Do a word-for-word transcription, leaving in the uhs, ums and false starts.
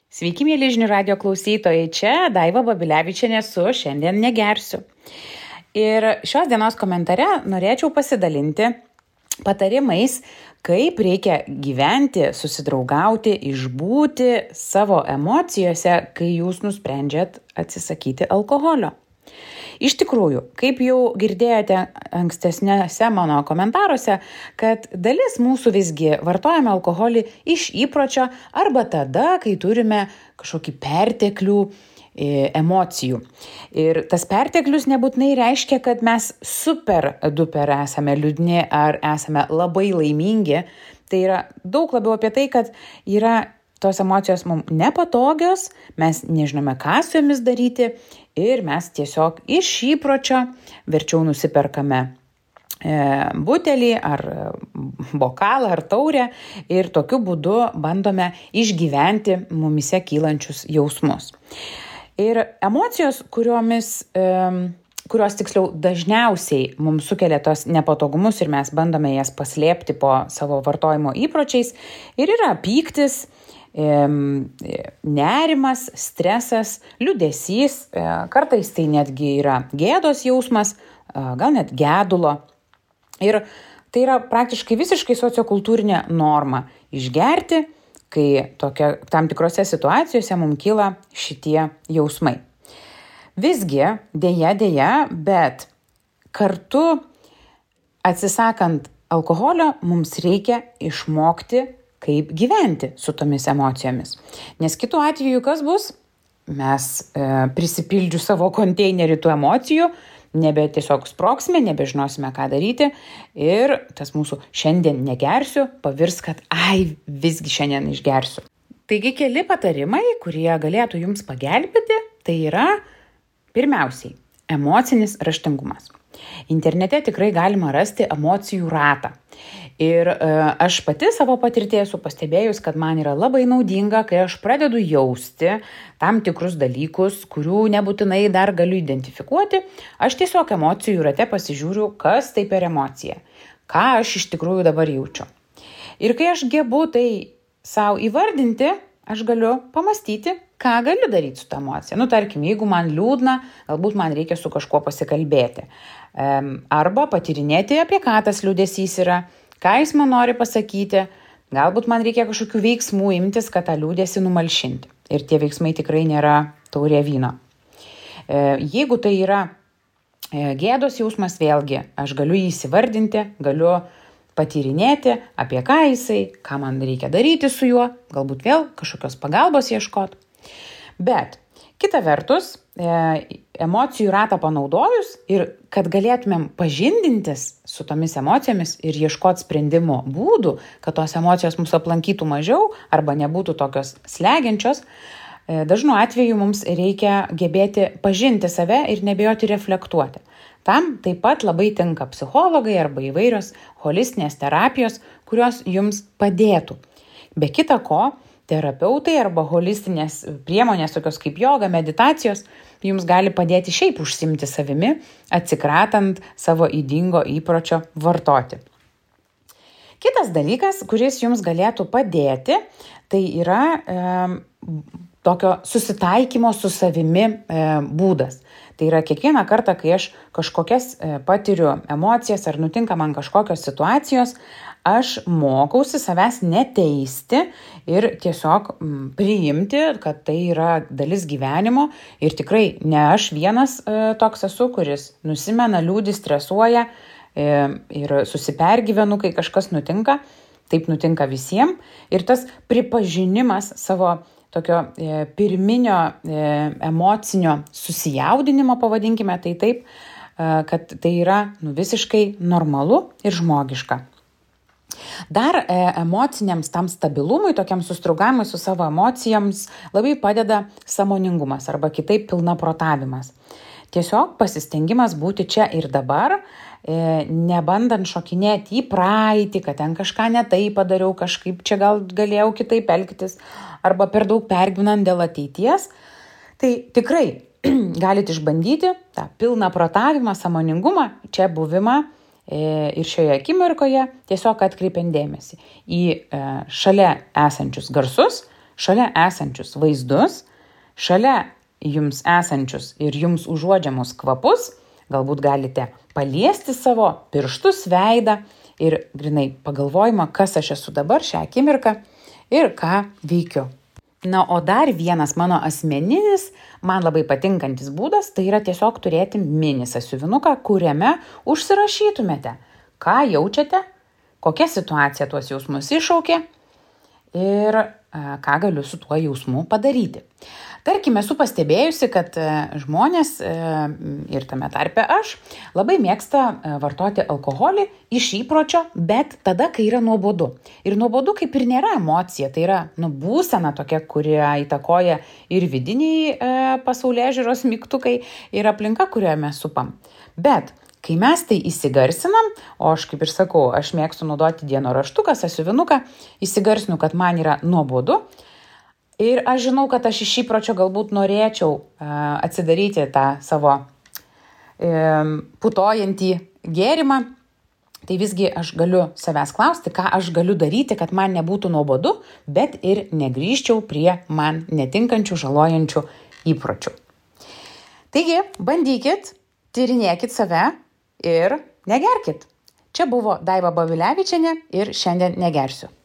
Sveiki, mėly žinių radio klausytojai, čia Daiva Babilevičienė su Šiandien negersiu. Ir šios dienos komentare norėčiau pasidalinti patarimais, kaip reikia gyventi, susidraugauti, išbūti savo emocijose, kai jūs nusprendžiat atsisakyti alkoholio. Iš tikrųjų, kaip jau girdėjote ankstesniuose mano komentaruose, kad dalis mūsų visgi vartojame alkoholį iš įpročio arba tada, kai turime kažkokį perteklių e, emocijų. Ir tas perteklius nebūtinai reiškia, kad mes super duper esame liūdni ar esame labai laimingi. Tai yra daug labiau apie tai, kad yra tos emocijos mums nepatogios, mes nežinome, ką su jomis daryti ir mes tiesiog iš įpročio verčiau nusiperkame e, butelį ar bokalą ar taurę ir tokiu būdu bandome išgyventi mumise kylančius jausmus. Ir emocijos, kuriomis, e, kurios tiksliau dažniausiai mums sukelia tos nepatogumus ir mes bandome jas paslėpti po savo vartojimo įpročiais, ir yra pyktis, nerimas, stresas, liūdesys, kartais tai netgi yra gėdos jausmas, gal net gedulo. Ir tai yra praktiškai visiškai sociokultūrinė norma išgerti, kai tokia, tam tikrose situacijose mums kyla šitie jausmai. Visgi, dėja, dėja, bet kartu atsisakant alkoholio mums reikia išmokti, kaip gyventi su tomis emocijomis. Nes kitu atveju kas bus? Mes e, prisipildžiu savo konteinerį tų emocijų, nebe tiesiog sprogsime, nebežinosime, ką daryti ir tas mūsų šiandien negersiu pavirs, kad ai, visgi šiandien išgersiu. Taigi keli patarimai, kurie galėtų jums pagelbėti, tai yra pirmiausiai emocinis raštingumas. Internete tikrai galima rasti emocijų ratą. Ir e, aš pati savo patirtyje esu pastebėjus, kad man yra labai naudinga, kai aš pradedu jausti tam tikrus dalykus, kurių nebūtinai dar galiu identifikuoti. Aš tiesiog emocijų rate pasižiūriu, kas tai per emocija, ką aš iš tikrųjų dabar jaučiu. Ir kai aš gebu tai savo įvardinti, aš galiu pamastyti, ką galiu daryti su ta emocija. Nu, tarkim, jeigu man liūdna, galbūt man reikia su kažkuo pasikalbėti. Arba patyrinėti, apie ką tas liūdesys yra, ką jis man nori pasakyti. Galbūt man reikia kažkokių veiksmų imtis, kad tą liūdesį numalšinti. Ir tie veiksmai tikrai nėra taurė vyno. Jeigu tai yra gėdos jausmas, vėlgi, aš galiu jį įsivardinti, galiu patyrinėti, apie ką jisai, ką man reikia daryti su juo, galbūt vėl kažkokios pagalbos ieškoti. Bet kita vertus, emocijų ratą panaudojus ir kad galėtumėm pažindintis su tomis emocijomis ir ieškoti sprendimo būdų, kad tos emocijos mus aplankytų mažiau arba nebūtų tokios slegiančios, dažnu atveju mums reikia gebėti pažinti save ir nebijoti reflektuoti. Tam taip pat labai tinka psichologai arba įvairios holistinės terapijos, kurios jums padėtų. Be kita ko, terapeutai arba holistinės priemonės, tokios kaip joga, meditacijos, jums gali padėti šiaip užsiimti savimi, atsikratant savo ydingo įpročio vartoti. Kitas dalykas, kuris jums galėtų padėti, tai yra e, tokio susitaikymo su savimi e, būdas. Tai yra kiekvieną kartą, kai aš kažkokias e, patiriu emocijas ar nutinka man kažkokios situacijos, aš mokausi savęs neteisti ir tiesiog m, priimti, kad tai yra dalis gyvenimo ir tikrai ne aš vienas e, toks esu, kuris nusimena, liūdi, stresuoja e, ir susipergyvenu, kai kažkas nutinka. Taip nutinka visiems ir tas pripažinimas savo tokio e, pirminio e, emocinio susijaudinimo, pavadinkime tai taip, e, kad tai yra nu, visiškai normalu ir žmogiška. Dar e, emociniams tam stabilumui, tokiam sustrugavimui su savo emocijoms labai padeda sąmoningumas arba kitaip pilnaprotavimas. Tiesiog pasistengimas būti čia ir dabar, e, nebandant šokinėti į praeitį, kad ten kažką ne taip padariau, kažkaip čia gal galėjau kitaip elgtis, arba per daug pergyvenant dėl ateities. Tai tikrai galite išbandyti tą pilnaprotavimą, sąmoningumą, čia buvimą ir šioje akimirkoje tiesiog atkreipiant dėmesį į šalia esančius garsus, šalia esančius vaizdus, šalia jums esančius ir jums užuodžiamus kvapus, galbūt galite paliesti savo pirštus, veidą ir grinai pagalvojimą, kas aš esu dabar šią akimirką ir ką veikiu. Na, o dar vienas mano asmeninis, man labai patinkantis būdas, tai yra tiesiog turėti mini sąsiuvinuką, kuriame užsirašytumėte, ką jaučiate, kokia situacija tuos jausmus iššaukė ir ką galiu su tuo jausmu padaryti. Tarkime, esu pastebėjusi, kad žmonės ir tame tarpe aš labai mėgsta vartoti alkoholį iš įpročio, bet tada, kai yra nuobodu. Ir nuobodu kaip ir nėra emocija, tai yra nu, būsena tokia, kurie įtakoja ir vidiniai e, pasaulėžiūros mygtukai ir aplinka, kurioje mes supam. Bet kai mes tai įsigarsinam, o aš kaip ir sakau, aš mėgstu naudoti dienoraštuką, sąsiuvinuką, įsigarsinu, kad man yra nuobodu. Ir aš žinau, kad aš iš įpročio galbūt norėčiau uh, atsidaryti tą savo um, putojantį gėrimą, tai visgi aš galiu savęs klausti, ką aš galiu daryti, kad man nebūtų nuobodu, bet ir negrįžčiau prie man netinkančių, žalojančių įpročių. Taigi, bandykit, tyrinėkit save ir negerkit. Čia buvo Daiva Babilevičienė ir šiandien negersiu.